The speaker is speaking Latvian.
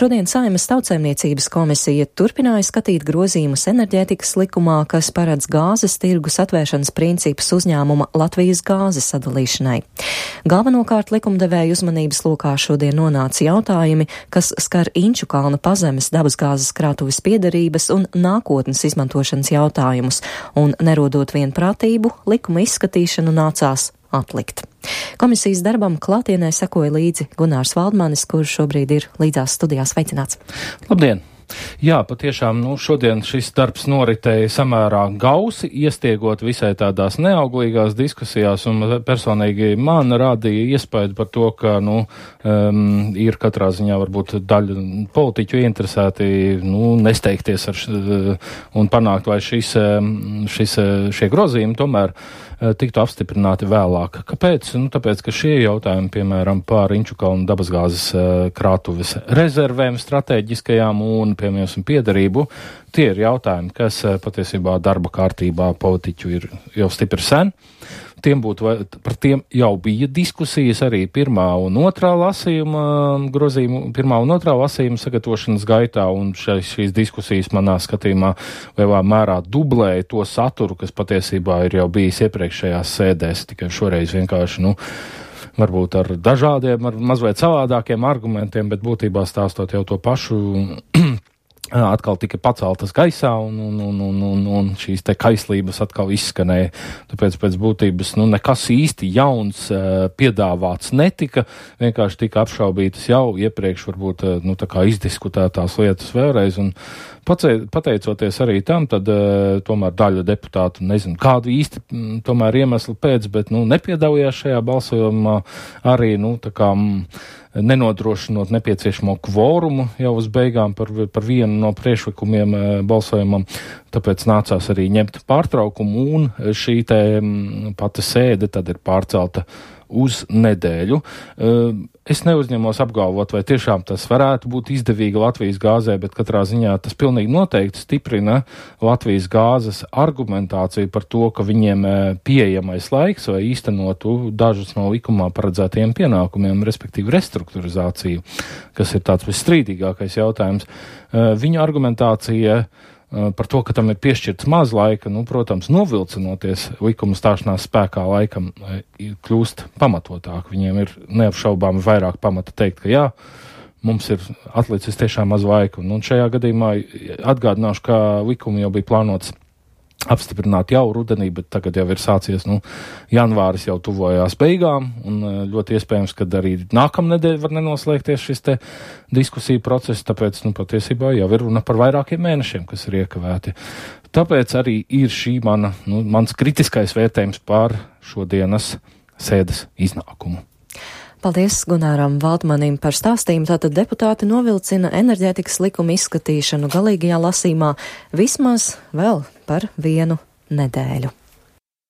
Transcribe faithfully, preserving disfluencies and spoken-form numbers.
Šodien Saeimas Tautsaimniecības komisija turpināja skatīt grozījumus enerģētikas likumā, kas paredz gāzes tirgus atvēršanas principus uzņēmuma Latvijas gāzes sadalīšanai. Galvenokārt likumdevēja uzmanības lokā šodien nonāca jautājumi, kas skar Inčukalna pazemes dabasgāzes krātuves piederības un nākotnes izmantošanas jautājumus, un nerodot vienprātību, likuma izskatīšanu nācās atlikt. Komisijas darbam klātienē sekoja līdzi Gunārs Valdmanis, kurš šobrīd ir līdzās studijās. Sveicināts! Labdien! Jā, patiešām, nu, šodien šis darbs noritēja samērā gausi, iestiegot visai tādās neauglīgās diskusijās, un personīgi man radīja iespēju par to, ka, nu, um, ir katrā ziņā varbūt daļa politiķu interesēti, nu, nesteigties ar š, un panākt, vai šis, šis, šie grozījumi tomēr tiktu apstiprināti vēlāk. Kāpēc? Nu, tāpēc, ka šie jautājumi, piemēram, par Inčukalnu dabasgāzes krātuves rezervēm strateģiskajām un, piemēram, piederību, tie ir jautājumi, kas patiesībā darba kārtībā politiķu ir jau stipri sen. Tiem būtu, par tiem jau bija diskusijas arī pirmā un otrā lasījuma grozījuma, pirmā un otrā lasījuma sagatavošanas gaitā, un šais, šīs diskusijas manā skatījumā lielā mērā dublēja to saturu, kas patiesībā ir jau bijis iepriekšējās sēdēs, tikai šoreiz vienkārši, nu, varbūt ar dažādiem, ar mazliet savādākiem argumentiem, bet būtībā stāstot jau to pašu atkal tika paceltas gaisā, un, un, un, un, un, un šīs te kaislības atkal izskanēja. Tāpēc pēc būtības, nu, nekas īsti jauns uh, piedāvāts netika, vienkārši tika apšaubītas jau iepriekš varbūt, uh, nu, tā kā izdiskutētās lietas vēlreiz, un pateicoties arī tam, tad uh, tomēr daļa deputātu, nezinu, kādu īsti m, tomēr iemeslu pēc, bet, nu, nepiedalījās šajā balsojumā arī, nu, tā kā m, nenodrošinot nepieciešamo kvorumu jau uz beigām par, par vienu no priekšlikumiem e, balsojumam, tāpēc nācās arī ņemt pārtraukumu, un šī te m, pati sēde tad ir pārcelta uz nedēļu. E, es neuzņemos apgalvot, vai tiešām tas varētu būt izdevīgi Latvijas gāzē, bet katrā ziņā tas pilnīgi noteikti stiprina Latvijas gāzes argumentāciju par to, ka viņiem pieejamais laiks, vai īstenotu dažus no likumā paredzētajiem pienākumiem, respektīvi restruktūrizāciju, kas ir tāds visstrīdīgākais jautājums. Viņu argumentācija par to, ka tam ir piešķirts maz laika, nu, protams, novilcinoties likuma stāšanās spēkā laikam, kļūst pamatotāk. Viņiem ir neapšaubāmi vairāk pamata teikt, ka jā, mums ir atlicis tiešām maz laika. Un šajā gadījumā atgādināšu, ka likumi jau bija plānots apstiprināt jau rudenī, bet tagad jau ir sācies, nu, janvāris jau tuvojās beigām, un ļoti iespējams, ka arī nākamnedēļ var nenoslēgties šis te diskusiju process, tāpēc, nu, patiesībā jau ir runa par vairākiem mēnešiem, kas ir iekavēti. Tāpēc arī ir šī mana, nu, mans kritiskais vērtējums par šodienas sēdes iznākumu. Paldies Gunāram Valdmanim par stāstījumu. Tātad deputāti novilcina enerģētikas likuma izskatīšanu galīgajā lasījumā vismaz vēl par vienu nedēļu.